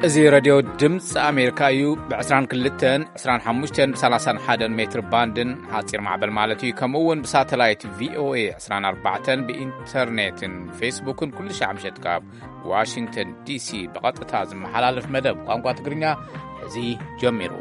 እዚ ሬድዮ ድምፂ ኣሜሪካ እዩ። ብ22፣ 25፣ ብ31 ሜትር ባንድን ሓፂር ማዕበል ማለት እዩ። ከምኡ እውን ብሳተላይት ቪ ኦ ኤ 24 ብኢንተርኔትን ፌስቡክን ኩሉ ሻዕ ምሸት ካብ ዋሽንግተን ዲ ሲ ብቐጥታ ዝመሓላለፍ መደብ ቋንቋ ትግርኛ እዚ ጀሚሩ።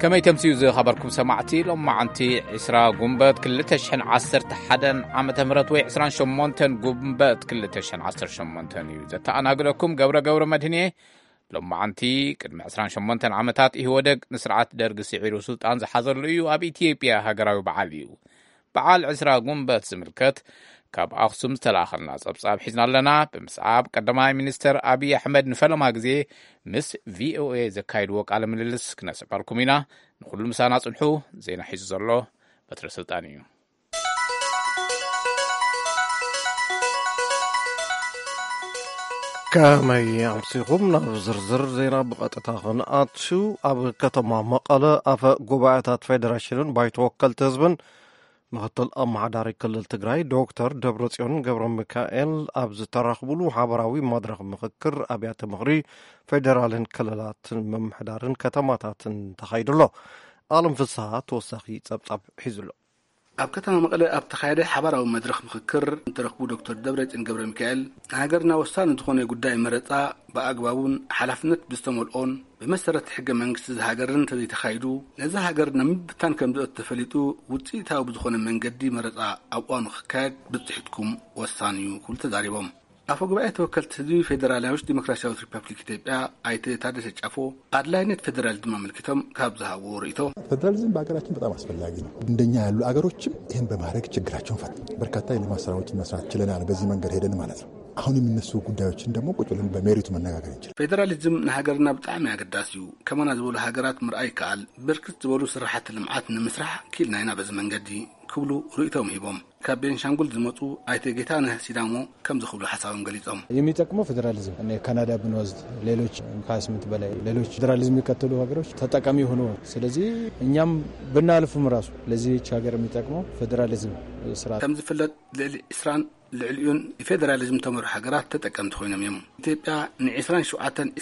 ከመይ ተምስዩ ዝኸበርኩም ሰማዕቲ፣ ሎማዓንቲ ዕስራ ጉንበት ክልተ ሽሕን ዓሰርተ ሓደን ዓመተ ምህረት ወይ ዕስራን ሸሞንተን ጉንበት ክልተ ሽሕን ዓሰርተ ሸሞንተን እዩ። ዘተኣናግደኩም ገብረ ገብረ መድህን እየ። ሎማዓንቲ ቅድሚ ዕስራን ሸሞንተን ዓመታት ኢህወደግ ንስርዓት ደርጊ ስዒሩ ስልጣን ዝሓዘሉ እዩ። ኣብ ኢትዮጵያ ሃገራዊ በዓል እዩ። በዓል ዕስራ ጉንበት ዝምልከት ካብ ኣኽሱም ዝተላኸልና ጸብጻብ ሒዝና ኣለና። ብምስዓብ ቀዳማይ ሚኒስተር ኣብይ ኣሕመድ ንፈለማ ግዜ ምስ ቪ ኦ ኤ ዘካይድዎ ቃለ ምልልስ ክነስዕበልኩም ኢና። ንኹሉ ምሳና ጽንሑ። ዜና ሒዙ ዘሎ በትረ ስልጣን እዩ። ከመይ ኣምሲኹም? ናብ ዝርዝር ዜና ብቐጥታ ክንኣቱ። ኣብ ከተማ መቐለ ኣፈ ጉባኤታት ፌዴሬሽንን ባይቶ ወከልቲ ህዝብን ምኽትል ኣመሓዳሪ ክልል ትግራይ ዶክተር ደብረጽዮን ገብረ ሚካኤል ኣብ ዝተራኽቡሉ ሓበራዊ መድረኽ ምኽክር ኣብያተ ምኽሪ ፌዴራልን ክልላትን ምምሕዳርን ከተማታትን ተኻይዱ ኣሎ። ኣለም ፍስሃ ተወሳኺ ጸብጻብ ሒዙ ኣሎ። ኣብ ከተማ መቐለ ኣብ ተኻየደ ሓባራዊ መድረኽ ምኽክር እንተረኽቡ ዶክተር ደብረጽዮን ገብረ ሚካኤል፣ ንሃገርና ወሳኒ ዝኾነ ጉዳይ መረጻ ብኣግባቡን ሓላፍነት ብዝተመልኦን ብመሰረት ሕገ መንግስቲ ዝሃገርን እንተዘይተኻይዱ፣ ነዛ ሃገር ናብ ምብታን ከም ዝእቱ ተፈሊጡ፣ ውጽኢታዊ ብዝኾነ መንገዲ መረጻ ኣብ እዋኑ ክካየድ ብጽሒትኩም ወሳኒ እዩ ክብሉ ተዛሪቦም። ኣፈ ጉባኤ ተወከልቲ ህዝቢ ፌዴራላዊት ዲሞክራሲያዊት ሪፐብሊክ ኢትዮጵያ ኣይተ ታደሰ ጫፎ ኣድላይነት ፌዴራሊዝም ኣመልኪቶም ካብ ዝሃብዎ ርእይቶ፣ ፌዴራሊዝም በሀገራችን በጣም አስፈላጊ ነው። እንደኛ ያሉ አገሮችም ይህን በማድረግ ችግራቸውን ፈት በርካታ የልማት ስራዎችን መስራት ችለናል። በዚህ መንገድ ሄደን ማለት ነው። አሁን የሚነሱ ጉዳዮችን ደግሞ ቁጭ ብለን በሜሪቱ መነጋገር እንችላለን። ፌዴራሊዝም ንሃገርና ብጣዕሚ ኣገዳሲ እዩ። ከማና ዝበሉ ሃገራት ምርኣይ ይከኣል። ብርክት ዝበሉ ስራሕቲ ልምዓት ንምስራሕ ኪልና ኢና በዚ መንገዲ ክብሉ ርእይቶም ሂቦም። ካብ ቤንሻንጉል ዝመፁ ኣይተ ጌታነህ ሲዳሞ ከምዚ ክብሉ ሓሳቦም ገሊፆም። የሚጠቅመው ፌዴራሊዝም እኔ ካናዳ ብንወስድ፣ ሌሎች ከስምንት በላይ ሌሎች ፌዴራሊዝም የሚከተሉ ሀገሮች ተጠቃሚ ሆኖ፣ ስለዚህ እኛም ብናልፍም ራሱ ለዚች ሀገር የሚጠቅመው ፌዴራሊዝም ስርዓት። ከም ዝፍለጥ ልዕሊ ዕስራን ልዕሊኡን ፌዴራሊዝም ተመርሑ ሃገራት ተጠቀምቲ ኮይኖም እዮም። ኢትዮጵያ ን27፣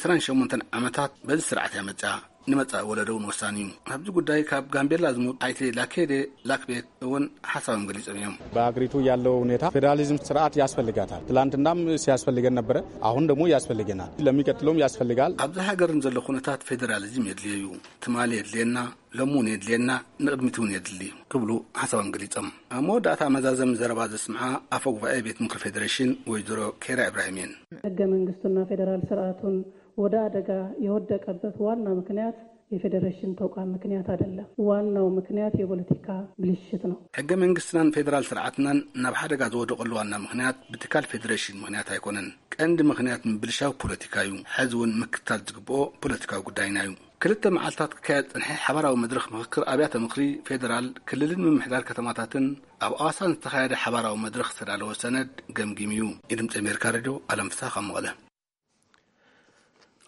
28 ዓመታት በዚ ስርዓት እያ መፅኣ። ንመጻኢ ወለዶ እውን ወሳኒ እዩ። ኣብዚ ጉዳይ ካብ ጋምቤላ ዝመጡ ኣይተ ላኬዴ ላክቤት እውን ሓሳቦም ገሊጾም እዮም። በአገሪቱ ያለው ሁኔታ ፌዴራሊዝም ስርዓት ያስፈልጋታል። ትላንትናም ሲያስፈልገን ነበረ፣ አሁን ደግሞ ያስፈልገናል፣ ለሚቀጥለውም ያስፈልጋል። ኣብዚ ሃገርን ዘሎ ኩነታት ፌዴራሊዝም የድልዮ እዩ። ትማሊ የድልየና፣ ሎሚ እውን የድልየና፣ ንቕድሚት እውን የድሊ ክብሉ ሓሳቦም ገሊጾም። ኣብ መወዳእታ መዛዘሚ ዘረባ ዘስምዓ ኣፈ ጉባኤ ቤት ምክሪ ፌዴሬሽን ወይዘሮ ኬራ ኢብራሂም እየን። ህገ መንግስቱና ፌዴራል ስርዓቱን ወደ አደጋ የወደቀበት ዋና ምክንያት የፌዴሬሽን ተቋም ምክንያት አይደለም። ዋናው ምክንያት የፖለቲካ ብልሽት ነው። ሕገ መንግስትናን ፌዴራል ስርዓትናን ናብ ሓደጋ ዝወደቀሉ ዋና ምክንያት ብትካል ፌዴሬሽን ምክንያት ኣይኮነን። ቀንዲ ምክንያት ምብልሻው ፖለቲካ እዩ። ሕዚ እውን ምክትታል ዝግብኦ ፖለቲካዊ ጉዳይና እዩ። ክልተ መዓልታት ክካየድ ዝጸንሐ ሓባራዊ መድረኽ ምኽክር ኣብያተ ምኽሪ ፌዴራል፣ ክልልን ምምሕዳር ከተማታትን ኣብ ኣዋሳን ዝተኻየደ ሓባራዊ መድረኽ ዝተዳለወ ሰነድ ገምጊሙ እዩ። የድምጺ ኣሜሪካ ሬድዮ፣ ኣለም ፍስሃ ካብ መቐለ።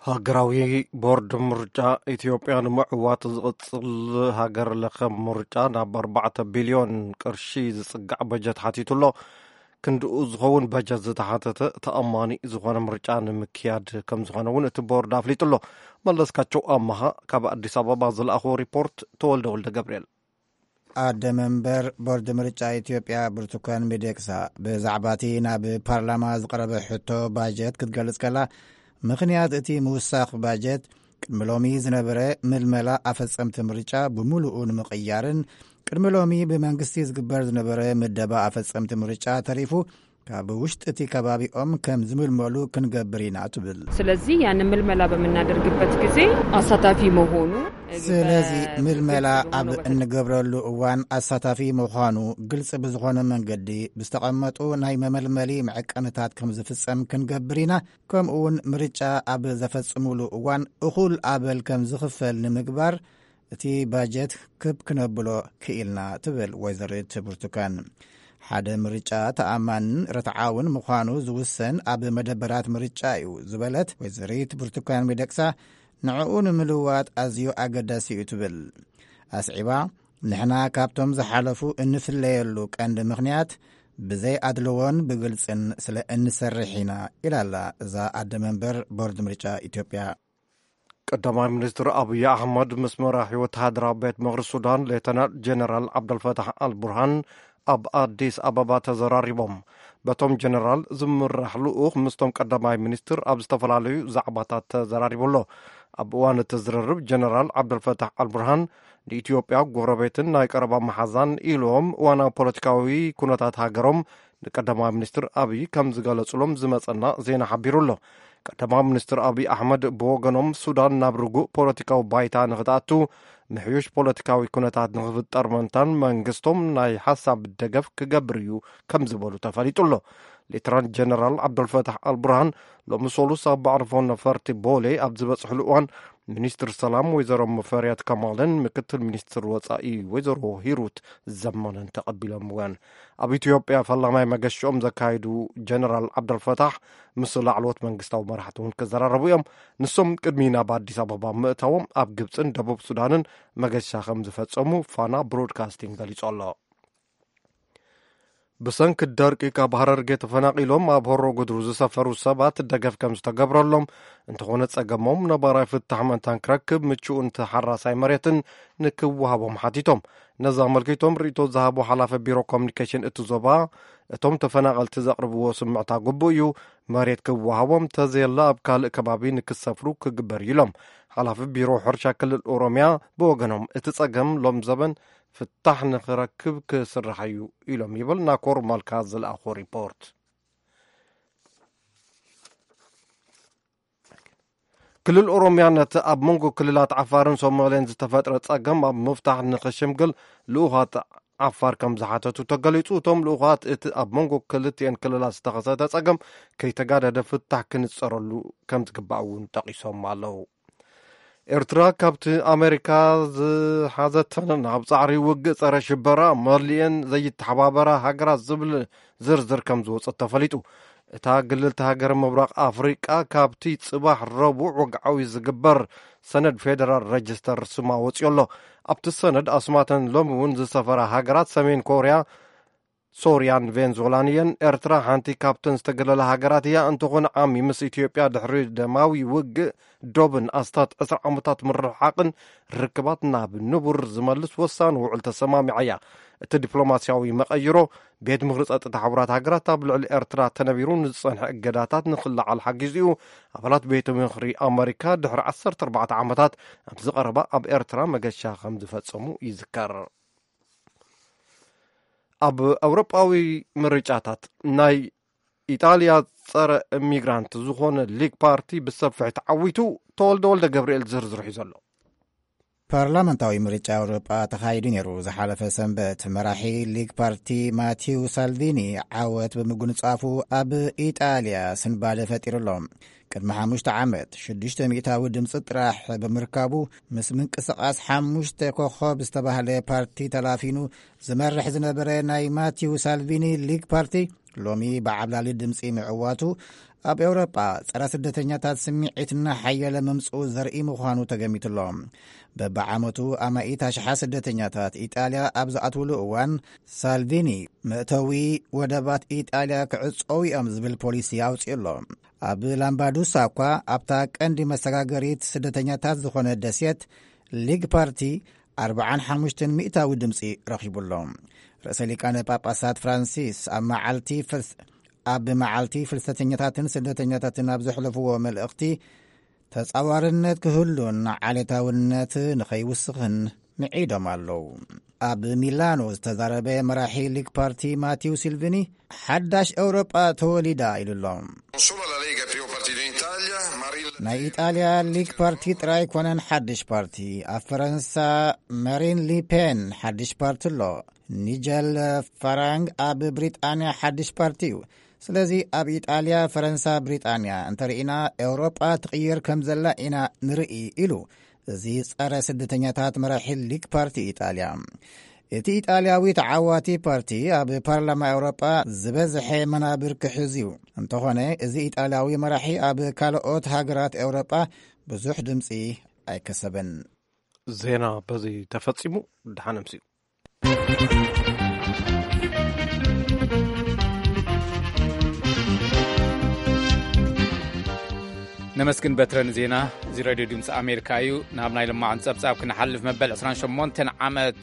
ሃገራዊ ቦርድ ምርጫ ኢትዮጵያ ንምዕዋት ዝቕጽል ሃገር ለኸ ምርጫ ናብ ኣርባዕተ ቢልዮን ቅርሺ ዝጽጋዕ በጀት ሓቲቱ ኣሎ። ክንድኡ ዝኸውን በጀት ዝተሓተተ ተኣማኒ ዝኾነ ምርጫ ንምክያድ ከም ዝኾነ እውን እቲ ቦርድ ኣፍሊጡ ኣሎ። መለስካቸው ኣማሃ ካብ ኣዲስ ኣበባ ዝለኣኽዎ ሪፖርት። ተወልደ ወልደ ገብርኤል። ኣደ መንበር ቦርድ ምርጫ ኢትዮጵያ ብርቱካን ሚደቅሳ ብዛዕባ እቲ ናብ ፓርላማ ዝቐረበ ሕቶ ባጀት ክትገልጽ ከላ፣ ምኽንያት እቲ ምውሳኽ ባጀት ቅድሚ ሎሚ ዝነበረ ምልመላ ኣፈጸምቲ ምርጫ ብምሉኡ ንምቕያርን ቅድሚ ሎሚ ብመንግስቲ ዝግበር ዝነበረ ምደባ ኣፈጸምቲ ምርጫ ተሪፉ ካብ ውሽጢ እቲ ከባቢኦም ከም ዝምልመሉ ክንገብር ኢና ትብል። ስለዚህ ያንን ምልመላ በምናደርግበት ጊዜ አሳታፊ መሆኑ ስለዚ ምልመላ ኣብ እንገብረሉ እዋን ኣሳታፊ ምዃኑ ግልፂ ብዝኾነ መንገዲ ብዝተቐመጡ ናይ መመልመሊ መዐቀንታት ከም ዝፍፀም ክንገብር ኢና። ከምኡ እውን ምርጫ ኣብ ዘፈፅሙሉ እዋን እኹል ኣበል ከም ዝኽፈል ንምግባር እቲ ባጀት ክብ ክነብሎ ክኢልና ትብል ወይዘሪት ብርቱካን። ሓደ ምርጫ ተኣማንን ርትዓውን ምዃኑ ዝውሰን ኣብ መደበራት ምርጫ እዩ ዝበለት ወይዘሪት ብርቱካን ሚደቅሳ፣ ንዕኡ ንምልዋጥ ኣዝዩ ኣገዳሲ እዩ ትብል። ኣስዒባ፣ ንሕና ካብቶም ዝሓለፉ እንፍለየሉ ቀንዲ ምኽንያት ብዘይ ኣድልዎን ብግልጽን ስለ እንሰርሕ ኢና፣ ኢላላ እዛ ኣደ መንበር ቦርድ ምርጫ ኢትዮጵያ። ቀዳማይ ሚኒስትር ኣብይ ኣሕመድ ምስ መራሒ ወተሃደራዊ ቤት ምኽሪ ሱዳን ሌተናል ጀነራል ዓብደልፈታሕ ኣልቡርሃን ኣብ ኣዲስ ኣበባ ተዘራሪቦም። በቶም ጀነራል ዝምራሕ ልኡኽ ምስቶም ቀዳማይ ሚኒስትር ኣብ ዝተፈላለዩ ዛዕባታት ተዘራሪቡ ኣሎ። ኣብ እዋን እቲ ዝርርብ ጀነራል ዓብደልፈታሕ ኣልቡርሃን ንኢትዮጵያ ጎረቤትን ናይ ቀረባ መሓዛን ኢሎም እዋናዊ ፖለቲካዊ ኩነታት ሃገሮም ንቀዳማይ ሚኒስትር ኣብይ ከም ዝገለጹሎም ዝመጸና ዜና ሓቢሩ ኣሎ። ቀዳማይ ሚኒስትር ኣብይ ኣሕመድ ብወገኖም ሱዳን ናብ ርጉእ ፖለቲካዊ ባይታ ንኽትኣቱ ምሕዩሽ ፖለቲካዊ ኩነታት ንኽፍጠር ምእንታን መንግስቶም ናይ ሓሳብ ደገፍ ክገብር እዩ ከም ዝበሉ ተፈሊጡ ኣሎ። ሌተናል ጀነራል ዓብደልፈታሕ ኣልቡርሃን ሎሚ ሰሉስ ኣብ መዕርፎ ነፈርቲ ቦሌ ኣብ ዝበጽሕሉ እዋን ሚኒስትር ሰላም ወይዘሮ ሙፈሪያት ከማልን ምክትል ሚኒስትር ወጻኢ ወይዘሮ ሂሩት ዘመነን ተቐቢሎም እዋን ኣብ ኢትዮጵያ ፈላማይ መገሽኦም ዘካየዱ ጀነራል ዓብደልፈታሕ ምስ ላዕለዎት መንግስታዊ መራሕቲ እውን ክዘራረቡ እዮም። ንሶም ቅድሚ ናብ ኣዲስ ኣበባ ምእታዎም ኣብ ግብፅን ደቡብ ሱዳንን መገሻ ከም ዝፈጸሙ ፋና ብሮድካስቲንግ ገሊጹ ኣሎ። ብሰንኪ ደርቂ ካብ ሃረርጌ ተፈናቒሎም ኣብ ሆሮ ጉድሩ ዝሰፈሩ ሰባት ደገፍ ከም ዝተገብረሎም፣ እንተኾነ ጸገሞም ነባራይ ፍታሕ መእንታን ክረክብ ምቹእን ተሓራሳይ መሬትን ንክወሃቦም ሓቲቶም። ነዚ ኣመልኪቶም ርእይቶ ዝሃቡ ሓላፊ ቢሮ ኮሚኒኬሽን እቲ ዞባ፣ እቶም ተፈናቐልቲ ዘቕርብዎ ስምዕታ ግቡእ እዩ፣ መሬት ክወሃቦም፣ ተዘየለ ኣብ ካልእ ከባቢ ንክሰፍሩ ክግበር እዩ ኢሎም። ሓላፊ ቢሮ ሕርሻ ክልል ኦሮሚያ ብወገኖም፣ እቲ ጸገም ሎም ዘበን ፍታሕ ንኽረክብ ክስራሕ እዩ ኢሎም ይብል ናኮር ማልካ ዝለኣኾ ሪፖርት። ክልል ኦሮሚያ ነቲ ኣብ መንጎ ክልላት ዓፋርን ሶማሌን ዝተፈጥረ ጸገም ኣብ ምፍታሕ ንኽሽምግል ልኡኻት ዓፋር ከም ዝሓተቱ ተገሊጹ። እቶም ልኡኻት እቲ ኣብ መንጎ ክልቲኤን ክልላት ዝተኸሰተ ጸገም ከይተጋደደ ፍታሕ ክንጸረሉ ከም ዝግባእ እውን ጠቒሶም ኣለዉ። ኤርትራ ካብቲ ኣሜሪካ ዝሓዘተን ኣብ ጻዕሪ ውግእ ጸረ ሽበራ መሊኤን ዘይተሓባበራ ሃገራት ዝብል ዝርዝር ከም ዝወጸት ተፈሊጡ። እታ ግልልቲ ሃገር ምብራቕ ኣፍሪቃ ካብቲ ጽባሕ ረቡዕ ወግዓዊ ዝግበር ሰነድ ፌደራል ረጅስተር ስማ ወጺኡ ኣሎ። ኣብቲ ሰነድ ኣስማተን ሎሚ እውን ዝሰፈራ ሃገራት ሰሜን ኮርያ፣ ሶርያን ቬንዙላን እየን። ኤርትራ ሓንቲ ካብተን ዝተገለላ ሃገራት እያ። እንተኾነ ዓሚ ምስ ኢትዮጵያ ድሕሪ ደማዊ ውግእ ዶብን ኣስታት ዕስራ ዓመታት ምርሕሓቕን ርክባት ናብ ንቡር ዝመልስ ወሳኒ ውዕል ተሰማሚዓ እያ። እቲ ዲፕሎማስያዊ መቐይሮ፣ ቤት ምኽሪ ጸጥታ ሕቡራት ሃገራት ኣብ ልዕሊ ኤርትራ ተነቢሩ ንዝጸንሐ እገዳታት ንኽለዓል ሓጊዙ እዩ። ኣባላት ቤት ምኽሪ ኣመሪካ ድሕሪ ዓሰርተ ኣርባዕተ ዓመታት ኣብዚ ቀረባ ኣብ ኤርትራ መገሻ ከም ዝፈጸሙ ይዝከር። ኣብ ኣውሮጳዊ ምርጫታት ናይ ኢጣልያ ጸረ ኢሚግራንት ዝኾነ ሊግ ፓርቲ ብሰፊሕ ተዓዊቱ። ተወልደ ወልደ ገብርኤል ዝርዝር ሒዙ ኣሎ። ፓርላመንታዊ ምርጫ ኣውሮጳ ተኻይዱ ነይሩ። ዝሓለፈ ሰንበት መራሒ ሊግ ፓርቲ ማቲው ሳልቪኒ ዓወት ብምጉንጻፉ ኣብ ኢጣልያ ስንባደ ፈጢሩ ኣሎ። ቅድሚ ሓሙሽተ ዓመት ሽዱሽተ ሚእታዊ ድምፂ ጥራሕ ብምርካቡ ምስ ምንቅስቓስ ሓሙሽተ ኮኸብ ዝተባህለ ፓርቲ ተላፊኑ ዝመርሕ ዝነበረ ናይ ማቲው ሳልቪኒ ሊግ ፓርቲ ሎሚ ብዓብላሊ ድምፂ ምዕዋቱ ኣብ ኤውሮጳ ጸረ ስደተኛታት ስምዒትና ሓየለ ምምፅኡ ዘርኢ ምዃኑ ተገሚቱሎ። በብዓመቱ ኣማኢት ኣሽሓት ስደተኛታት ኢጣልያ ኣብ ዝኣትውሉ እዋን ሳልቪኒ መእተዊ ወደባት ኢጣልያ ክዕጸው እዮም ዝብል ፖሊሲ ኣውጺኡ ኣሎ። ኣብ ላምባዱሳ እኳ ኣብታ ቀንዲ መሰጋገሪት ስደተኛታት ዝኾነ ደሴት ሊግ ፓርቲ ኣርብዓን ሓሙሽተን ሚእታዊ ድምፂ ረኺቡ ኣሎ። ርእሰ ሊቃነ ጳጳሳት ፍራንሲስ ኣብ መዓልቲ ፍልስ-፣ ኣብ መዓልቲ ፍልሰተኛታትን ስደተኛታትን ኣብ ዘሕለፍዎ መልእኽቲ ተጻዋርነት ክህሉን ዓሌታውነት ንኸይውስኽን ምዒዶም ኣለዉ። ኣብ ሚላኖ ዝተዛረበ መራሒ ሊግ ፓርቲ ማቲው ሲልቪኒ ሓዳሽ ኤውሮጳ ተወሊዳ ኢሉ ኣሎ። Non solo la Lega è il primo partito in Italia, Marine Le Pen ናይ ኢጣልያ ሊግ ፓርቲ ጥራይ ኮነን ሓድሽ ፓርቲ። ኣብ ፈረንሳ ማሪን ሊፔን ሓድሽ ፓርቲ ኣሎ። ኒጀል ፋራንግ ኣብ ብሪጣንያ ሓድሽ ፓርቲ እዩ። ስለዚ ኣብ ኢጣልያ፣ ፈረንሳ፣ ብሪጣንያ እንተርኢና ኤውሮጳ ትቕየር ከም ዘላ ኢና ንርኢ ኢሉ እዚ ጸረ ስደተኛታት መራሒ ሊግ ፓርቲ ኢጣልያ። እቲ ኢጣልያዊ ተዓዋቲ ፓርቲ ኣብ ፓርላማ ኤውሮጳ ዝበዝሐ መናብር ክሕዝ እዩ። እንተኾነ እዚ ኢጣልያዊ መራሒ ኣብ ካልኦት ሃገራት ኤውሮጳ ብዙሕ ድምፂ ኣይከሰበን። ዜና በዚ ተፈጺሙ። ደሓን ኣምስዩ። ተመስግን በትረ ንዜና እዚ ሬድዮ ድምፂ ኣሜሪካ እዩ። ናብ ናይ ልማዕን ጸብጻብ ክንሓልፍ፣ መበል ዕስራን ሸሞንተን ዓመት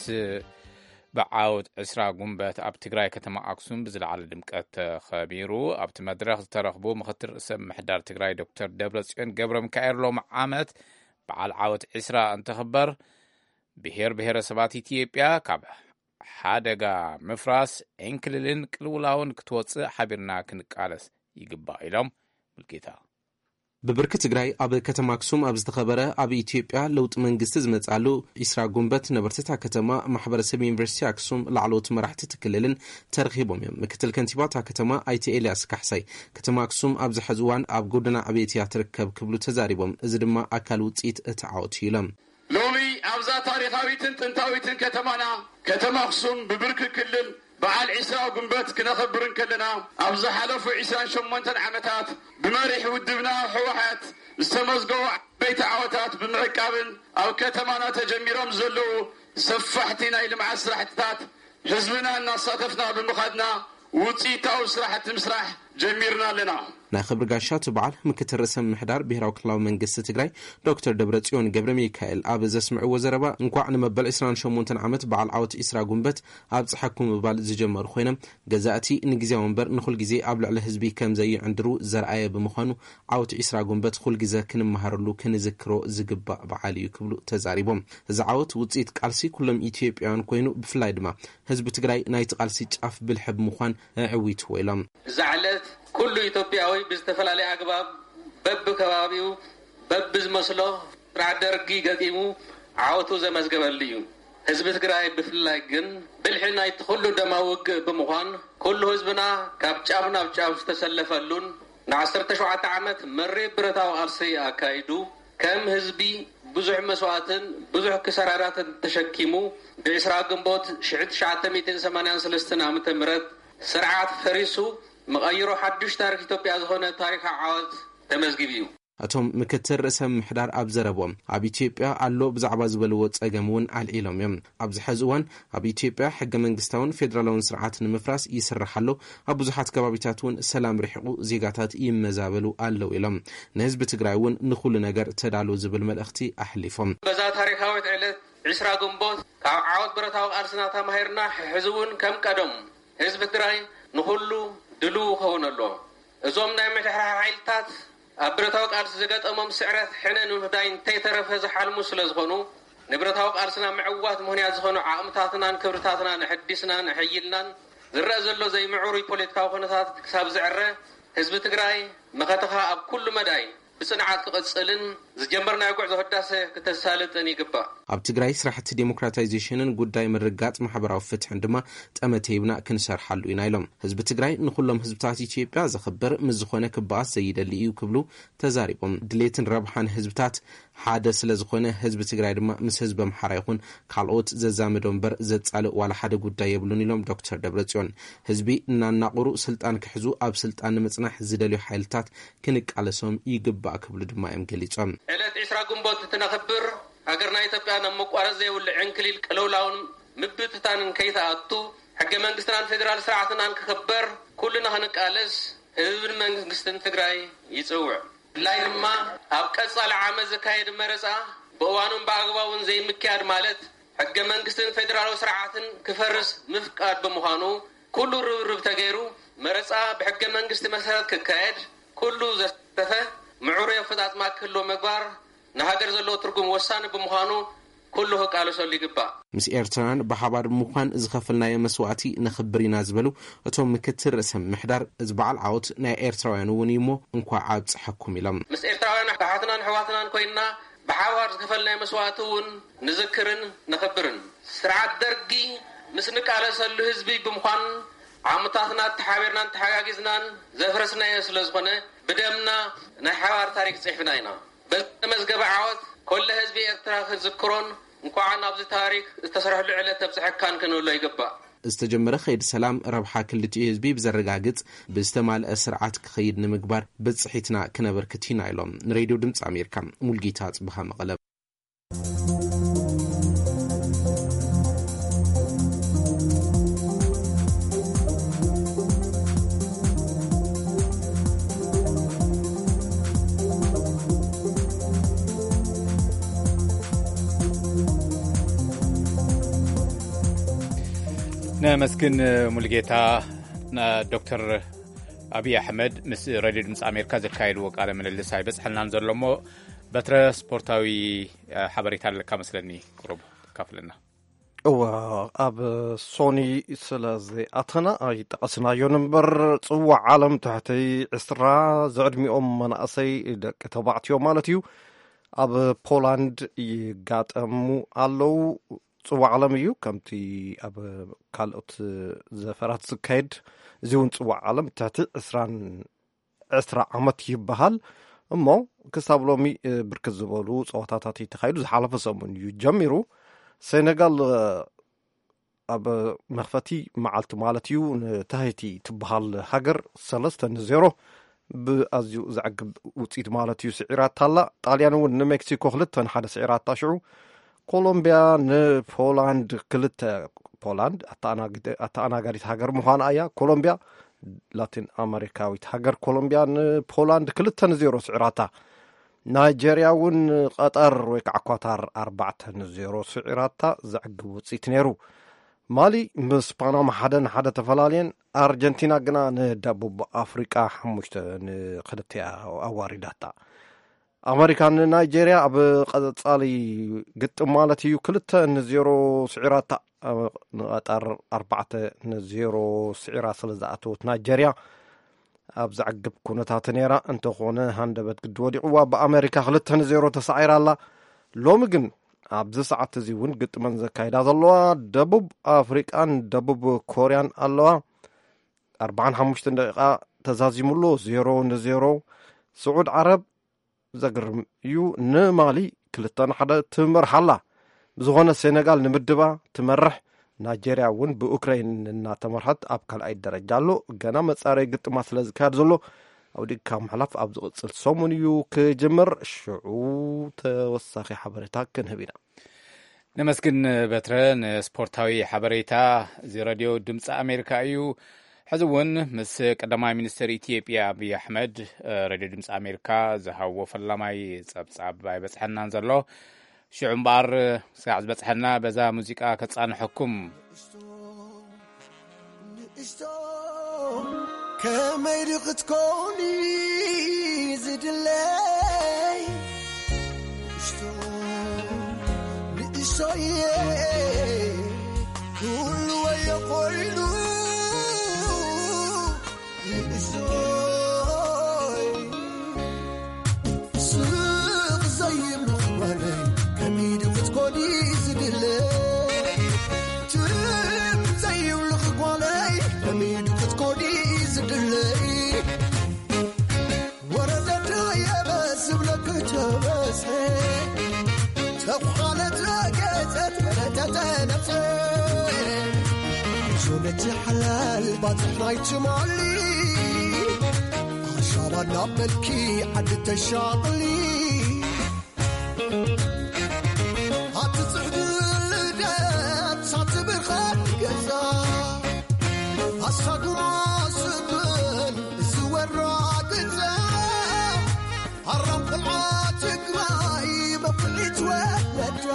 ብዓውት ዕስራ ጉንበት ኣብ ትግራይ ከተማ ኣክሱም ብዝለዓለ ድምቀት ተኸቢሩ። ኣብቲ መድረኽ ዝተረኽቡ ምክትል ርእሰ ምሕዳር ትግራይ ዶክተር ደብረጽዮን ገብረ ሚካኤል፣ ሎም ዓመት በዓል ዓወት ዕስራ እንትኽበር ብሄር ብሄረሰባት ኢትዮጵያ ካብ ሓደጋ ምፍራስ፣ ዕንክልልን ቅልውላውን ክትወፅእ ሓቢርና ክንቃለስ ይግባእ ኢሎም። ሙልጌታ። ብብርኪ ትግራይ ኣብ ከተማ ኣክሱም ኣብ ዝተኸበረ ኣብ ኢትዮጵያ ለውጢ መንግስቲ ዝመፅኣሉ ዕስራ ጉንበት፣ ነበርትታ ከተማ፣ ማሕበረሰብ ዩኒቨርሲቲ ኣክሱም፣ ላዕለዎት መራሕቲ እቲ ክልልን ተረኺቦም እዮም። ምክትል ከንቲባ እታ ከተማ ኣይተ ኤልያስ ካሕሳይ፣ ከተማ ኣክሱም ኣብዚ ሕዚ እዋን ኣብ ጎደና ዕቤት እያ ትርከብ ክብሉ ተዛሪቦም። እዚ ድማ ኣካል ውፅኢት እቲ ዓወት እዩ ኢሎም። ሎሚ ኣብዛ ታሪኻዊትን ጥንታዊትን ከተማና ከተማ ኣክሱም ብብርኪ ክልል በዓል ዕስራ ጉንበት ክነኸብር እንከለና፣ ኣብ ዝሓለፉ ዕስራን ሸሞንተን ዓመታት ብመሪሕ ውድብና ህወሓት ዝተመዝገቡ ዓበይቲ ዓወታት ብምዕቃብን ኣብ ከተማና ተጀሚሮም ዘለዉ ሰፋሕቲ ናይ ልምዓት ስራሕትታት ህዝብና እናሳተፍና ብምኻድና ውፅኢታዊ ስራሕቲ ምስራሕ ጀሚርና ኣለና። ናይ ክብሪ ጋሻ እቲ በዓል ምክትል ርእሰ ምምሕዳር ብሄራዊ ክልላዊ መንግስቲ ትግራይ ዶክተር ደብረጽዮን ገብረ ሚካኤል ኣብ ዘስምዕዎ ዘረባ፣ እንኳዕ ንመበል ዕስራን ሸሞንተን ዓመት በዓል ዓወት ዕስራ ጉንበት ኣብጽሐኩም ምባል ዝጀመሩ ኮይኖም፣ ገዛእቲ ንግዜያዊ እምበር ንኹል ግዜ ኣብ ልዕሊ ህዝቢ ከም ዘይዕንድሩ ዘርኣየ ብምዃኑ፣ ዓወት ዕስራ ጉንበት ኩል ግዜ ክንመሃረሉ ክንዝክሮ ዝግባእ በዓል እዩ ክብሉ ተዛሪቦም። እዚ ዓወት ውፅኢት ቃልሲ ኩሎም ኢትዮጵያውያን ኮይኑ፣ ብፍላይ ድማ ህዝቢ ትግራይ ናይቲ ቃልሲ ጫፍ ብልሒ ብምዃን ኣዕዊትዎ ኢሎም። እዛ ዕለት ኩሉ ኢትዮጵያዊ ብዝተፈላለየ ኣግባብ በብከባቢኡ በብዝመስሎ ስርዓት ደርጊ ገጢሙ ዓወቱ ዘመዝገበሉ እዩ። ህዝቢ ትግራይ ብፍላይ ግን ብልሒ ናይቲ ኩሉ ደማዊ ውግእ ብምዃን፣ ኩሉ ህዝብና ካብ ጫፍ ናብ ጫፍ ዝተሰለፈሉን ንዓሰርተ ሸውዓተ ዓመት መሪር ብረታዊ ቃልሲ ኣካይዱ፣ ከም ህዝቢ ብዙሕ መስዋእትን ብዙሕ ክሳራራትን ተሸኪሙ፣ ብዕስራ ግንቦት ሽሕን ትሽዓተ ሚእትን ሰማንያን ሰለስተን ዓመተ ምህረት ስርዓት ፈሪሱ፣ መቐይሮ ሓዱሽ ታሪኽ ኢትዮጵያ ዝኾነ ታሪኻዊ ዓወት ተመዝጊቡ እዩ። እቶም ምክትል ርእሰ ምምሕዳር ኣብ ዘረብኦም፣ ኣብ ኢትዮጵያ ኣሎ ብዛዕባ ዝበልዎ ጸገም እውን ኣልዒሎም እዮም። ኣብዚ ሕዚ እዋን ኣብ ኢትዮጵያ ሕገ መንግስታውን ፌዴራላውን ስርዓት ንምፍራስ ይስራሕ ኣሎ፣ ኣብ ብዙሓት ከባቢታት እውን ሰላም ርሒቑ ዜጋታት ይመዛበሉ ኣለዉ ኢሎም። ንህዝቢ ትግራይ እውን ንኹሉ ነገር ተዳሎ ዝብል መልእኽቲ ኣሕሊፎም። በዛ ታሪኻዊት ዕለት ዕስራ ግንቦት ካብ ዓወት ብረታዊ ቃልስና ተማሂርና፣ ሕዚ እውን ከም ቀደም ህዝቢ ትግራይ ንኹሉ ድልው ክኸውን ኣለዎ። እዞም ናይ ምሕደራ ሓይልታት ኣብ ብረታዊ ቃልሲ ዝገጠሞም ስዕረት ሕነ ንምፍዳይ እንተይተረፈ ዝሓልሙ ስለ ዝኾኑ፣ ንብረታዊ ቃልስና ምዕዋት ምኽንያት ዝኾኑ ዓቕምታትናን ክብርታትናን ኣሐዲስናን ኣሐይልናን፣ ዝረአ ዘሎ ዘይምዕሩይ ፖለቲካዊ ኩነታት ክሳብ ዝዕረ፣ ህዝቢ ትግራይ መኸተኻ ኣብ ኩሉ መዳይ ብጽንዓት ክቕጽልን ዝጀመርናዮ ጉዕዞ ህዳሰ ክተሳልጥን ይግባእ። ኣብ ትግራይ ስራሕቲ ዴሞክራታይዜሽንን ጉዳይ ምርግጋጽ ማሕበራዊ ፍትሕን ድማ ጠመተ ሂብና ክንሰርሓሉ ኢና ኢሎም። ህዝቢ ትግራይ ንኹሎም ህዝብታት ኢትዮጵያ ዘኽብር ምስ ዝኾነ ክበኣስ ዘይደሊ እዩ ክብሉ ተዛሪቦም። ድሌትን ረብሓን ህዝብታት ሓደ ስለ ዝኾነ፣ ህዝቢ ትግራይ ድማ ምስ ህዝቢ ኣምሓራ ይኹን ካልኦት ዘዛምዶ እምበር ዘጻልእ ዋላ ሓደ ጉዳይ የብሉን ኢሎም ዶክተር ደብረጽዮን። ህዝቢ እናናቑሩ ስልጣን ክሕዙ፣ ኣብ ስልጣን ንምጽናሕ ዝደልዩ ሓይልታት ክንቃለሶም ይግባእ ክብሉ ድማ እዮም ገሊጾም። ዕለት ዕስራ ግንቦት እንትነኽብር፣ ሃገርና ኢትዮጵያ ናብ መቋረፂ ዘይብሉ ዕንክሊል ቅልውላውን ምብትታንን ከይትኣቱ፣ ሕገ መንግስትናን ፌዴራል ስርዓትናን ክኽበር ኩልና ክንቃለስ ህዝብን መንግስትን ትግራይ ይፅውዕ። ብፍላይ ድማ ኣብ ቀፃሊ ዓመት ዝካየድ መረፃ ብእዋኑን ብኣግባቡን ዘይምክያድ ማለት፣ ሕገ መንግስትን ፌዴራላዊ ስርዓትን ክፈርስ ምፍቃድ ብምዃኑ፣ ኩሉ ርብርብ ተገይሩ መረፃ ብሕገ መንግስቲ መሰረት ክካየድ፣ ኩሉ ዘሳተፈ ምዕሩይ ኣፈፃፅማ ክህልዎ ምግባር ንሃገር ዘለዎ ትርጉም ወሳኒ ብምዃኑ፣ ኩሉ ክቃለሰሉ ይግባእ። ምስ ኤርትራውያን ብሓባር ብምዃን ዝኸፈልናዮ መስዋእቲ ነኽብር ኢና ዝበሉ እቶም ምክትል ርእሰ ምምሕዳር፣ እዚ በዓል ዓወት ናይ ኤርትራውያን እውን እዩ እሞ እንኳዕ ኣብፀሐኩም ኢሎም። ምስ ኤርትራውያን ኣሓትናን ኣሕዋትናን ኮይንና ብሓባር ዝኸፈልናዮ መስዋእቲ እውን ንዝክርን ነኽብርን። ስርዓት ደርጊ ምስ ንቃለሰሉ ህዝቢ ብምዃን፣ ዓመታትና ተሓቢርናን ተሓጋጊዝናን ዘፍረስናዮ ስለ ዝኾነ፣ ብደምና ናይ ሓባር ታሪክ ጽሒፍና ኢና። በዚ ተመዝገበ ዓወት፣ ኮለ ህዝቢ ኤርትራ ክዝክሮን እንኳዕ ናብዚ ታሪክ ዝተሰርሕሉ ዕለት ተብጽሐካን ክንብሎ ይግባእ። ዝተጀመረ ከይዲ ሰላም ረብሓ ክልቲኡ ህዝቢ ብዘረጋግጽ ብዝተማልአ ስርዓት ክኸይድ ንምግባር ብጽሒትና ክነበርክት ኢና ኢሎም። ንሬድዮ ድምፂ ኣሜሪካ፣ ሙልጌታ ጽብሃ መቐለ። ነመስግን ሙሉጌታ። ዶክተር ኣብይ ኣሕመድ ምስ ሬድዮ ድምፂ ኣሜሪካ ዘካየድዎ ቃለ ምልልስ ኣይበፅሐልናን ዘሎ እሞ፣ በትረ ስፖርታዊ ሓበሬታ ኣለካ መስለኒ፣ ቁሩብ ካፍለና። እወ፣ ኣብ ሶኒ ስለ ዘይኣተና ኣይጠቐስናዮን እምበር፣ ጽዋዕ ዓለም ትሕቲ ዕስራ ዝዕድሚኦም መናእሰይ ደቂ ተባዕትዮ ማለት እዩ፣ ኣብ ፖላንድ ይጋጠሙ ኣለዉ። ጽዋዕ ዓለም እዩ፣ ከምቲ ኣብ ካልኦት ዘፈራት ዝካየድ፣ እዚ እውን ጽዋዕ ዓለም ትሕቲ ዕስራን ዕስራ ዓመት ይበሃል። እሞ ክሳብ ሎሚ ብርክት ዝበሉ ጸወታታት እዩ ተኻይዱ። ዝሓለፈ ሰሙን እዩ ጀሚሩ። ሴኔጋል ኣብ መኽፈቲ መዓልቲ ማለት እዩ ንታሂቲ ትበሃል ሃገር ሰለስተ ንዜሮ ብኣዝዩ ዘዕግብ ውፅኢት ማለት እዩ ስዒራታ ኣላ። ጣልያን እውን ንሜክሲኮ ክልተ ንሓደ ስዒራታ። ሽዑ ኮሎምቢያ ንፖላንድ ክልተ፣ ፖላንድ ኣተኣናጋዲት ሃገር ምዃና እያ። ኮሎምቢያ፣ ላቲን ኣመሪካዊት ሃገር ኮሎምቢያ ንፖላንድ ክልተ ንዜሮ ስዒራታ። ናይጀርያ እውን ቀጠር ወይ ከዓ ኳታር ኣርባዕተ ንዜሮ ስዒራታ ዘዕግብ ውፅኢት ነይሩ። ማሊ ምስ ፓናማ ሓደ ንሓደ ተፈላለየን። ኣርጀንቲና ግና ንደቡብ ኣፍሪቃ ሓሙሽተ ንክልተ ኣዋሪዳታ። ኣመሪካ ንናይጀርያ ኣብ ቀጻሊ ግጥም ማለት እዩ ክልተ ንዜሮ ስዒራታ። ንቐጠር ኣርባዕተ ንዜሮ ስዒራ ስለ ዝኣተወት ናይጀርያ ኣብ ዘዕግብ ኩነታት ነይራ። እንተኾነ ሃንደበት ግዲ ወዲቕዋ ብኣመሪካ ክልተ ንዜሮ ተሳዒራ ኣላ። ሎሚ ግን ኣብዚ ሰዓት እዚ እውን ግጥመን ዘካይዳ ዘለዋ ደቡብ ኣፍሪቃን ደቡብ ኮርያን ኣለዋ። ኣርባዓን ሓሙሽተን ደቂቃ ተዛዚሙሎ ዜሮ ንዜሮ። ስዑድ ዓረብ ዘግርም እዩ፣ ንማሊ ክልተ ንሓደ ትመርሓ ኣላ። ብዝኾነ ሴነጋል ንምድባ ትመርሕ። ናይጀርያ እውን ብኡክራይን እናተመርሐት ኣብ ካልኣይ ደረጃ ኣሎ። ገና መጻረይ ግጥማ ስለ ዝካየድ ዘሎ ኣውዲቕካ ምሕላፍ ኣብ ዝቕጽል ሰሙን እዩ ክጅምር። ሽዑ ተወሳኺ ሓበሬታ ክንህብ ኢና። ነመስግን በትረ ንስፖርታዊ ሓበሬታ። እዚ ረድዮ ድምፂ ኣሜሪካ እዩ። ሕዚ እውን ምስ ቀዳማይ ሚኒስትር ኢትዮጵያ ኣብይ ኣሕመድ ረድዮ ድምፂ ኣሜሪካ ዝሃብዎ ፈላማይ ጸብጻብ ኣይበፅሐናን ዘሎ። ሽዑ እምበኣር ስጋዕ ዝበፅሐና በዛ ሙዚቃ ከፃንሐኩም። ንእሽቶ ከመይ ዶ ክትኮኒ ዝድለይ? ንእሽቶ፣ ንእሽቶየ፣ ኩሉ ወዮ ኮይኑ። ንእሽቶይ፣ ስቕ ዘይብሉ ጓለይ፣ ከመይ ዶ ክትኮኒ ዝድለይ? ትም ዘይብሉ ጓለይ፣ ከመይ ዶ ክትኮኒ ዝድለይ? ወረደ ዶ የበስ ዝብለኪ ተበዝሐ፣ ተዃለ ተገጸት ከረተተ ነብሰ። ዞነቲ ሓላል ባጽሕ ናይ ትማሊ፣ ኣሻባ እናበልኪ ዓዲ ተሻቕሊ። ኣቲ ጽሕዲ ልደት ሳቲ ብርኻት ገዛ፣ ኣሳጉማ ስብል ዝወራ ገዛ። ኣራም ቆልዓ ትግራይ መኩዒት ወለዳ፣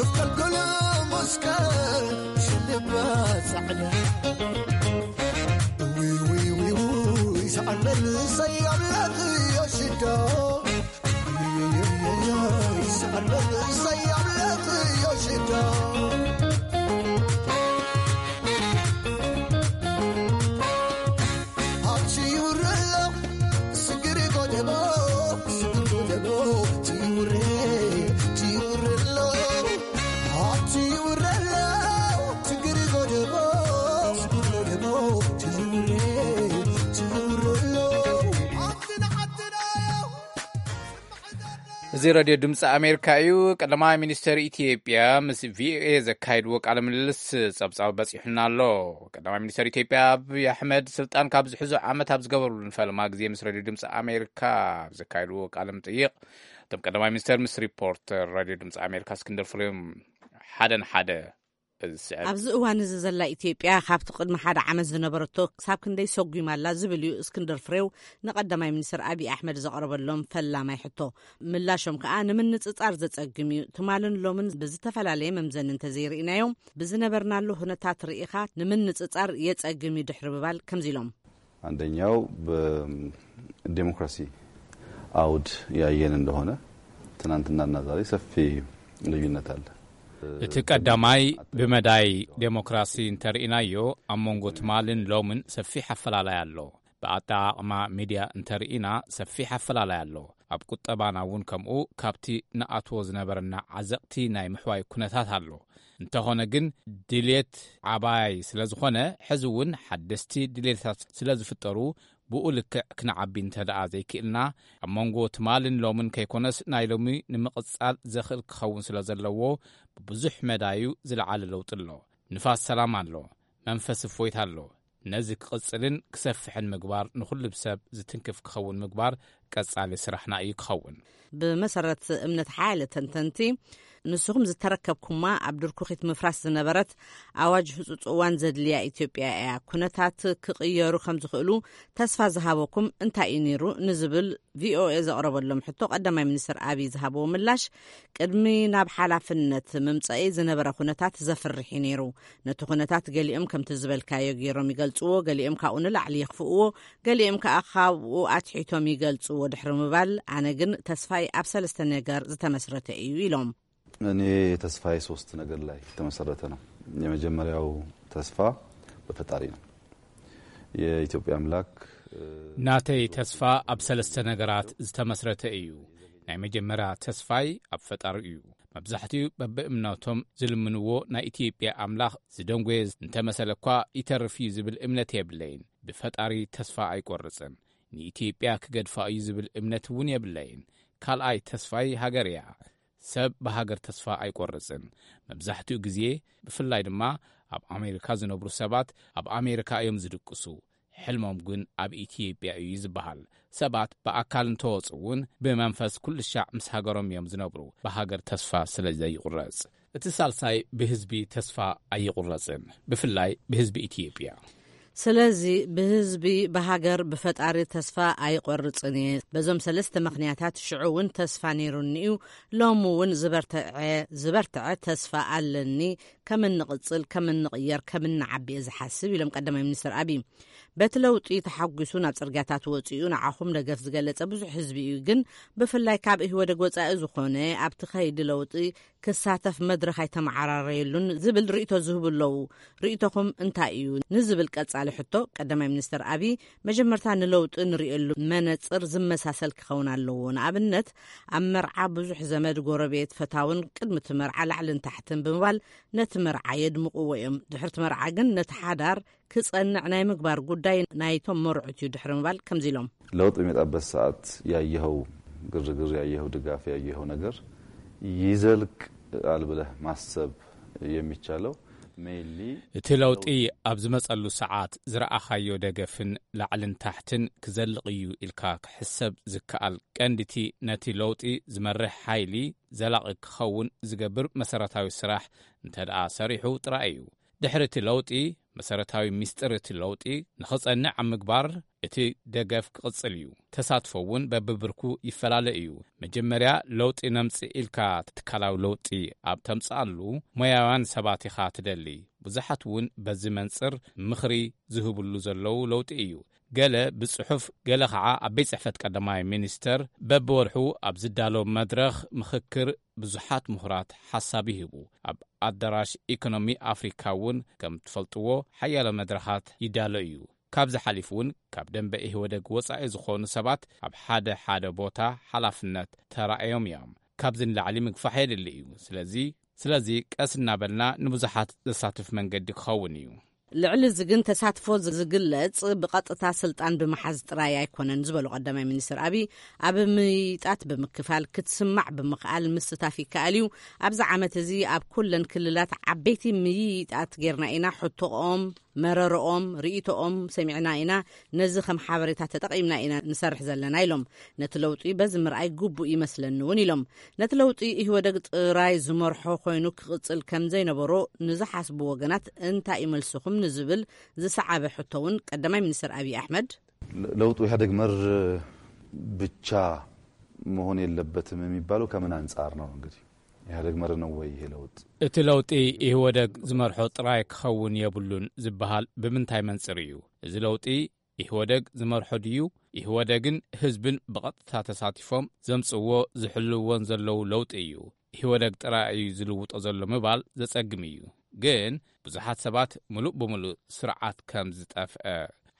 እፍቀል ገለ መስቀል ሽልባ ጻዕዳ። ውይ፣ ውይ፣ ውይ፣ ውይ፣ ሰኣን መንእሰይ ኣምላኽ እዮ ሽዳ። ውይ፣ ውይ፣ ውይ፣ ውይ፣ ሰኣን መንእሰይ ኣምላኽ እዮ ሽዳ። እዚ ሬድዮ ድምፂ ኣሜሪካ እዩ። ቀዳማይ ሚኒስተር ኢትዮጵያ ምስ ቪኦኤ ዘካየድዎ ቃለ ምልልስ ጸብጻብ በጺሑና ኣሎ። ቀዳማይ ሚኒስተር ኢትዮጵያ ኣብይ ኣሕመድ ስልጣን ካብ ዝሕዙ ዓመት ኣብ ዝገበሩሉ ንፈለማ ግዜ ምስ ሬድዮ ድምፂ ኣሜሪካ ኣብ ዘካየድዎ ቃለ ምጥይቕ፣ እቶም ቀዳማይ ሚኒስተር ምስ ሪፖርተር ሬድዮ ድምፂ ኣሜሪካ እስክንድር ፍሬም ሓደ ንሓደ ኣብዚ እዋን እዚ ዘላ ኢትዮጵያ ካብቲ ቅድሚ ሓደ ዓመት ዝነበረቶ ክሳብ ክንደይ ሰጒማ ኣላ ዝብል እዩ እስክንድር ፍሬው ንቀዳማይ ሚኒስትር ኣብይ ኣሕመድ ዘቕረበሎም ፈላማይ ሕቶ። ምላሾም ከኣ ንምንጽጻር ዘጸግም እዩ። ትማልን ሎምን ብዝተፈላለየ መምዘኒ እንተዘይርኢናዮም፣ ብዝነበርናሉ ኩነታት ርኢኻ ንምንጽጻር የጸግም እዩ ድሕሪ ምባል ከምዚ ኢሎም። አንደኛው በዲሞክራሲ አውድ ያየን እንደሆነ ትናንትናና ዛሬ ሰፊ ልዩነት አለ። እቲ ቀዳማይ ብመዳይ ዴሞክራሲ እንተርኢናዮ ኣብ መንጎ ትማልን ሎምን ሰፊሕ ኣፈላላይ ኣሎ። ብኣጠቓቕማ ሚድያ እንተርኢና ሰፊሕ ኣፈላላይ ኣሎ። ኣብ ቁጠባና እውን ከምኡ ካብቲ ንኣትዎ ዝነበረና ዓዘቕቲ ናይ ምሕዋይ ኩነታት ኣሎ። እንተኾነ ግን ድሌት ዓባይ ስለ ዝኾነ ሕዚ እውን ሓደስቲ ድሌታት ስለ ዝፍጠሩ ብኡ ልክዕ ክንዓቢ እንተ ደኣ ዘይክእልና ኣብ መንጎ ትማልን ሎምን ከይኮነስ ናይ ሎሚ ንምቕጻል ዘኽእል ክኸውን ስለ ዘለዎ ብብዙሕ መዳዩ ዝለዓለ ለውጢ ኣሎ። ንፋስ ሰላም ኣሎ። መንፈስ እፎይታ ኣሎ። ነዚ ክቕጽልን ክሰፍሕን ምግባር ንኹሉ ሰብ ዝትንክፍ ክኸውን ምግባር ቀጻሊ ስራሕና እዩ ክኸውን። ብመሰረት እምነት ሓያለ ተንተንቲ ንስኹም ዝተረከብኩማ ኣብ ድርኩኺት ምፍራስ ዝነበረት ኣዋጅ ህጹጽ እዋን ዘድልያ ኢትዮጵያ እያ። ኩነታት ክቕየሩ ከም ዝኽእሉ ተስፋ ዝሃበኩም እንታይ እዩ ነይሩ ንዝብል ቪኦኤ ዘቕረበሎም ሕቶ ቀዳማይ ሚኒስትር ኣብይ ዝሃብዎ ምላሽ ቅድሚ ናብ ሓላፍነት ምምጸኢ ዝነበረ ኩነታት ዘፍርሕ እዩ ነይሩ። ነቲ ኩነታት ገሊኦም ከምቲ ዝበልካዮ ገይሮም ይገልጽዎ፣ ገሊኦም ካብኡ ንላዕሊ የኽፍእዎ፣ ገሊኦም ከኣ ካብኡ ኣትሒቶም ይገልጽዎ ድሕሪ ምባል ኣነ ግን ተስፋይ ኣብ ሰለስተ ነገር ዝተመስረተ እዩ ኢሎም። እኔ ተስፋዬ ሶስት ነገር ላይ የተመሰረተ ነው። የመጀመሪያው ተስፋ በፈጣሪ ነው። የኢትዮጵያ አምላክ ናተይ ተስፋ ኣብ ሰለስተ ነገራት ዝተመስረተ እዩ። ናይ መጀመርያ ተስፋይ ኣብ ፈጣሪ እዩ። መብዛሕትኡ በብእምነቶም ዝልምንዎ ናይ ኢትዮጵያ ኣምላኽ ዝደንጎየ እንተመሰለ እኳ ይተርፍ እዩ ዝብል እምነት የብለይን። ብፈጣሪ ተስፋ ኣይቆርጽን። ንኢትዮጵያ ክገድፋ እዩ ዝብል እምነት እውን የብለይን። ካልኣይ ተስፋይ ሃገር እያ። ሰብ ብሃገር ተስፋ ኣይቆርጽን። መብዛሕትኡ ግዜ ብፍላይ ድማ ኣብ ኣሜሪካ ዝነብሩ ሰባት ኣብ ኣሜሪካ እዮም ዝድቅሱ። ሕልሞም ግን ኣብ ኢትዮጵያ እዩ ዝበሃል። ሰባት ብኣካል እንተወጹ እውን ብመንፈስ ኩሉ ሻዕ ምስ ሃገሮም እዮም ዝነብሩ። ብሃገር ተስፋ ስለ ዘይቁረጽ። እቲ ሳልሳይ ብህዝቢ ተስፋ ኣይቁረጽን፣ ብፍላይ ብህዝቢ ኢትዮጵያ። ስለዚ ብህዝቢ ብሃገር ብፈጣሪ ተስፋ ኣይቆርጽን እየ። በዞም ሰለስተ ምኽንያታት ሽዑ እውን ተስፋ ነይሩኒ እዩ። ሎሚ እውን ዝበርትዐ ዝበርትዐ ተስፋ ኣለኒ። ከም እንቕጽል፣ ከም እንቕየር፣ ከም እንዓቢ እየ ዝሓስብ ኢሎም ቀዳማይ ሚኒስትር ኣብይ። በቲ ለውጢ ተሓጒሱ ናብ ጽርግያታት ወጺኡ ንዓኹም ደገፍ ዝገለጸ ብዙሕ ህዝቢ እዩ። ግን ብፍላይ ካብ ኢህወደግ ወጻኢ ዝኾነ ኣብቲ ከይዲ ለውጢ ክሳተፍ መድረኽ ኣይተመዓራረየሉን ዝብል ርእይቶ ዝህቡ ኣለዉ። ርእይቶኹም እንታይ እዩ ንዝብል ቀጻሊ ሕቶ ቀዳማይ ሚኒስትር ኣብይ መጀመርታ ንለውጢ ንርእየሉ መነጽር ዝመሳሰል ክኸውን ኣለዎ። ንኣብነት ኣብ መርዓ ብዙሕ ዘመድ፣ ጎረቤት፣ ፈታውን ቅድሚ እቲ መርዓ ላዕልን ታሕትን ብምባል ነቲ መርዓ የድምቕዎ እዮም። ድሕርቲ መርዓ ግን ነቲ ሓዳር ክጸንዕ ናይ ምግባር ጉዳይ ናይቶም መርዑት እዩ ድሕሪ ምባል ከምዚ ኢሎም። ለውጥ በሚመጣበት ሰዓት ያየኸው ግርግር፣ ያየኸው ድጋፍ፣ ያየኸው ነገር ይዘልቃል ብለህ ማሰብ የሚቻለው mainly እቲ ለውጢ ኣብ ዝመጸሉ ሰዓት ዝረኣኻዮ ደገፍን ላዕልን ታሕትን ክዘልቕ እዩ ኢልካ ክሕሰብ ዝከኣል ቀንዲቲ ነቲ ለውጢ ዝመርሕ ሓይሊ ዘላቒ ክኸውን ዝገብር መሰረታዊ ስራሕ እንተ ደኣ ሰሪሑ ጥራይ እዩ። ድሕሪ እቲ ለውጢ መሰረታዊ ሚስጥር እቲ ለውጢ ንኽጸንዕ ኣብ ምግባር እቲ ደገፍ ክቕጽል እዩ። ተሳትፎ እውን በብብርኩ ይፈላለ እዩ። መጀመርያ ለውጢ ነምጽእ ኢልካ ትካላዊ ለውጢ ኣብ ተምጽኣሉ ሞያውያን ሰባት ኢኻ ትደሊ። ብዙሓት እውን በዚ መንጽር ምኽሪ ዝህብሉ ዘለዉ ለውጢ እዩ። ገለ ብጽሑፍ ገለ ኸዓ ኣብ ቤት ጽሕፈት ቀዳማይ ሚኒስተር በብወርሑ ኣብ ዝዳሎ መድረኽ ምኽክር ብዙሓት ምሁራት ሓሳብ ይህቡ። ኣብ ኣዳራሽ ኢኮኖሚ ኣፍሪካ እውን ከም ትፈልጥዎ ሓያሎ መድረኻት ይዳሎ እዩ። ካብዚ ሓሊፉ እውን ካብ ደንበ ኢህወደግ ወጻኢ ዝኾኑ ሰባት ኣብ ሓደ ሓደ ቦታ ሓላፍነት ተራእዮም እዮም። ካብዚ ንላዕሊ ምግፋሕ የድሊ እዩ። ስለዚ ስለዚ ቀስ እናበልና ንብዙሓት ዘሳትፍ መንገዲ ክኸውን እዩ። ልዕሊ እዚ ግን ተሳትፎ ዝግለጽ ብቐጥታ ስልጣን ብምሓዝ ጥራይ ኣይኮነን ዝበሉ ቀዳማይ ሚኒስትር ኣብይ ኣብ ምይይጣት ብምክፋል ክትስማዕ ብምኽኣል ምስታፍ ይከኣል እዩ። ኣብዚ ዓመት እዚ ኣብ ኩለን ክልላት ዓበይቲ ምይይጣት ጌርና ኢና። ሕቶኦም መረረኦም፣ ርእይቶኦም ሰሚዕና ኢና። ነዚ ከም ሓበሬታ ተጠቒምና ኢና ንሰርሕ ዘለና ኢሎም። ነቲ ለውጢ በዚ ምርኣይ ግቡእ ይመስለኒ እውን ኢሎም። ነቲ ለውጢ ኢህወደግ ጥራይ ዝመርሖ ኮይኑ ክቕጽል ከም ዘይነበሮ ንዝሓስቡ ወገናት እንታይ እዩ መልስኹም ንዝብል ዝሰዓበ ሕቶ እውን ቀዳማይ ሚኒስትር ኣብይ ኣሕመድ ለውጡ ኢህወደግ መር ብቻ መሆን የለበትም የሚባለው ከምን አንጻር ነው? እንግዲህ ኢህወደግ መር ነው ወይ ይሄ ለውጥ? እቲ ለውጢ ኢህወደግ ዝመርሖ ጥራይ ክኸውን የብሉን ዝበሃል ብምንታይ መንጽር እዩ? እዚ ለውጢ ኢህወደግ ዝመርሖ ድዩ? ኢህወደግን ህዝብን ብቐጥታ ተሳቲፎም ዘምጽዎ ዝሕልውዎን ዘለዉ ለውጢ እዩ። ኢህወደግ ጥራይ እዩ ዝልውጦ ዘሎ ምባል ዘጸግም እዩ። ግን ብዙሓት ሰባት ምሉእ ብምሉእ ስርዓት ከም ዝጠፍአ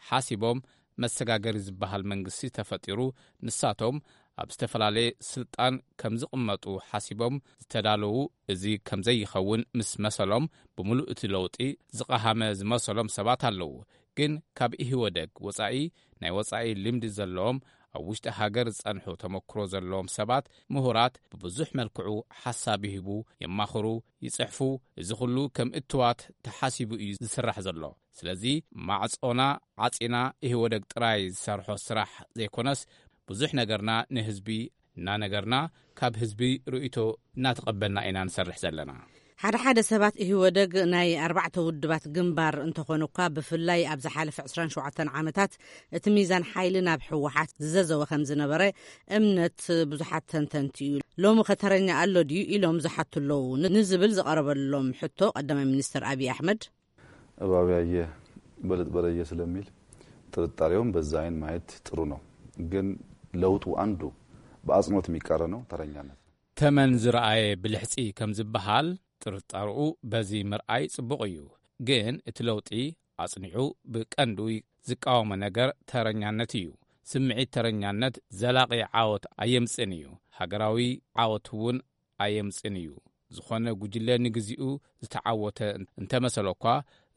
ሓሲቦም መሰጋገሪ ዝበሃል መንግስቲ ተፈጢሩ ንሳቶም ኣብ ዝተፈላለየ ስልጣን ከም ዝቕመጡ ሓሲቦም ዝተዳለዉ፣ እዚ ከም ዘይኸውን ምስ መሰሎም ብምሉእ እቲ ለውጢ ዝቐሃመ ዝመሰሎም ሰባት ኣለዉ። ግን ካብ ኢህወደግ ወጻኢ ናይ ወጻኢ ልምዲ ዘለዎም ኣብ ውሽጢ ሃገር ዝጸንሑ ተመክሮ ዘለዎም ሰባት ምሁራት ብብዙሕ መልክዑ ሓሳብ ይህቡ፣ የማኽሩ፣ ይጽሕፉ። እዚ ኩሉ ከም እትዋት ተሓሲቡ እዩ ዝስራሕ ዘሎ። ስለዚ ማዕጾና ዓጺና ኢህወደግ ጥራይ ዝሰርሖ ስራሕ ዘይኮነስ ብዙሕ ነገርና ንህዝቢ እናነገርና ካብ ህዝቢ ርእይቶ እናተቐበልና ኢና ንሰርሕ ዘለና። ሓደ ሓደ ሰባት ኢህወደግ ናይ ኣርባዕተ ውድባት ግንባር እንተኾነ እኳ ብፍላይ ኣብ ዝሓለፈ ዕስራን ሸውዓተን ዓመታት እቲ ሚዛን ሓይሊ ናብ ህወሓት ዝዘዘወ ከም ዝነበረ እምነት ብዙሓት ተንተንቲ እዩ። ሎሚ ከተረኛ ኣሎ ድዩ ኢሎም ዝሓቱ ኣለዉ ንዝብል ዝቐረበሎም ሕቶ ቀዳማይ ሚኒስትር ኣብይ ኣሕመድ እባብ ያየ በለጥ በረየ ስለሚል ጥርጣሬውን በዛ አይን ማየት ጥሩ ነው። ግን ለውጡ አንዱ በአጽንኦት የሚቃረነው ተረኛነት ነው። ተመን ዝረኣየ ብልሕጺ ከም ዝበሃል ጥርጣርኡ በዚ ምርኣይ ጽቡቕ እዩ። ግን እቲ ለውጢ ኣጽኒዑ ብቀንዱ ዝቃወሞ ነገር ተረኛነት እዩ። ስምዒት ተረኛነት ዘላቒ ዓወት ኣየምጽእን እዩ። ሃገራዊ ዓወት እውን ኣየምጽእን እዩ። ዝኾነ ጉጅለ ንግዚኡ ዝተዓወተ እንተመሰለኳ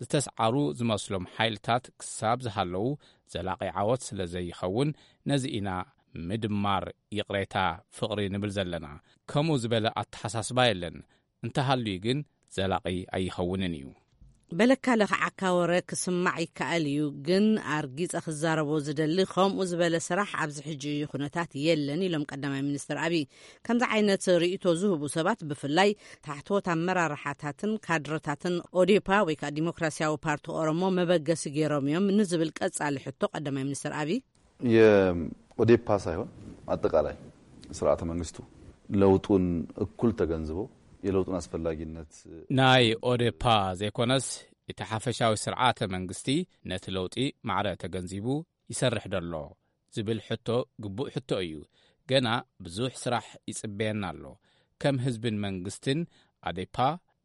ዝተስዓሩ ዝመስሎም ሓይልታት ክሳብ ዝሃለዉ ዘላቒ ዓወት ስለ ዘይኸውን ነዚ ኢና ምድማር ይቕሬታ ፍቕሪ ንብል ዘለና። ከምኡ ዝበለ ኣተሓሳስባ የለን። እንተሃልዩ ግን ዘላቒ ኣይኸውንን እዩ። በለካ ለኽዓካ ወረ ክስማዕ ይከኣል እዩ፣ ግን ኣርጊጸ ክዛረቦ ዝደሊ ከምኡ ዝበለ ስራሕ ኣብዚ ሕጂ ኩነታት የለን ኢሎም ቀዳማይ ሚኒስትር ኣብይ። ከምዚ ዓይነት ርእይቶ ዝህቡ ሰባት ብፍላይ ታሕተዎት ኣመራርሓታትን ካድረታትን ኦዴፓ ወይ ከዓ ዲሞክራሲያዊ ፓርቲ ኦሮሞ መበገሲ ገይሮም እዮም ንዝብል ቀጻሊ ሕቶ ቀዳማይ ሚኒስትር ኣብይ የኦዴፓ ሳይሆን አጠቃላይ ስርዓተ መንግስቱ ለውጡን እኩል ተገንዝቦ የለውጡን አስፈላጊነት ናይ ኦዴፓ ዘይኮነስ እቲ ሓፈሻዊ ስርዓተ መንግስቲ ነቲ ለውጢ ማዕረ ተገንዚቡ ይሰርሕ ደሎ ዝብል ሕቶ ግቡእ ሕቶ እዩ። ገና ብዙሕ ስራሕ ይጽበየና ኣሎ። ከም ህዝብን መንግስትን ኣዴፓ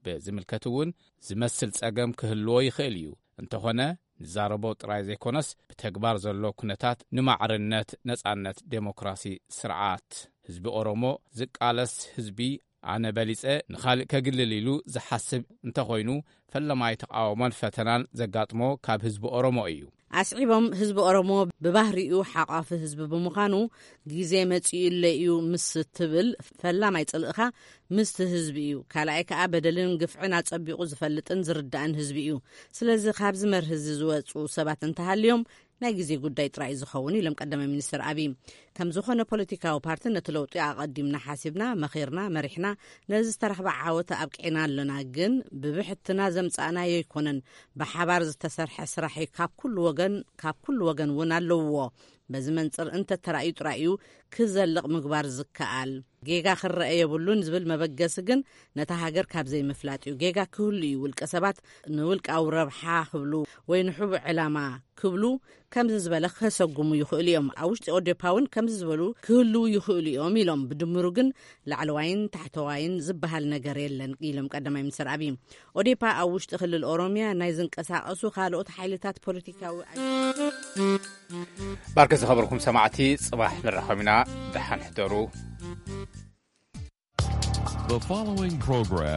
ብዝምልከት እውን ዝመስል ጸገም ክህልዎ ይኽእል እዩ። እንተኾነ ንዛረቦ ጥራይ ዘይኮነስ ብተግባር ዘሎ ኩነታት ንማዕርነት፣ ነጻነት፣ ዴሞክራሲ ስርዓት ህዝቢ ኦሮሞ ዝቃለስ ህዝቢ ኣነ በሊጸ ንኻልእ ከግልል ኢሉ ዝሓስብ እንተኾይኑ ፈለማይ ተቓውሞን ፈተናን ዘጋጥሞ ካብ ህዝቢ ኦሮሞ እዩ። ኣስዒቦም ህዝቢ ኦሮሞ ብባህሪኡ ሓቋፊ ህዝቢ ብምዃኑ ግዜ መጺኡ ኣሎ እዩ ምስ ትብል ፈላማይ ጽልእኻ ምስቲ ህዝቢ እዩ። ካልኣይ ከኣ በደልን ግፍዕን ኣጸቢቑ ዝፈልጥን ዝርዳእን ህዝቢ እዩ። ስለዚ ካብዚ መርህ እዚ ዝወጹ ሰባት እንተሃልዮም ናይ ግዜ ጉዳይ ጥራይ እዩ ዝኸውን ኢሎም ቀዳማይ ሚኒስትር ኣብይ። ከም ዝኾነ ፖለቲካዊ ፓርቲ ነቲ ለውጢ ኣቐዲምና ሓሲብና፣ መኺርና፣ መሪሕና ነዚ ዝተረኽበ ዓወት ኣብቂዕና ኣሎና። ግን ብብሕትና ዘምጻእናዮ ኣይኮነን። ብሓባር ዝተሰርሐ ስራሕ እዩ። ካብ ኩሉ ወገን ካብ ኩሉ ወገን እውን ኣለውዎ። በዚ መንጽር እንተተራእዩ ጥራይ እዩ ክዘልቕ ምግባር ዝከኣል። ጌጋ ክረአ የብሉን ዝብል መበገሲ ግን ነታ ሃገር ካብ ዘይምፍላጥ እዩ። ጌጋ ክህሉ እዩ። ውልቀ ሰባት ንውልቃዊ ረብሓ ክብሉ ወይ ንሕቡእ ዕላማ ክብሉ ከምዚ ዝበለ ከሰጉሙ ይኽእሉ እዮም። ኣብ ውሽጢ ኦዴፓ እውን ከምዚ ዝበሉ ክህልዉ ይኽእሉ እዮም ኢሎም። ብድምሩ ግን ላዕለዋይን ታሕተዋይን ዝበሃል ነገር የለን ኢሎም ቀዳማይ ሚኒስትር ኣብይ። ኦዴፓ ኣብ ውሽጢ ክልል ኦሮሚያ ናይ ዝንቀሳቐሱ ካልኦት ሓይልታት ፖለቲካዊ ኣይ- ባርከ ዝኸበርኩም ሰማዕቲ ጽባሕ ንራኸብ ኢና። ደሓን ሕደሩ። The following program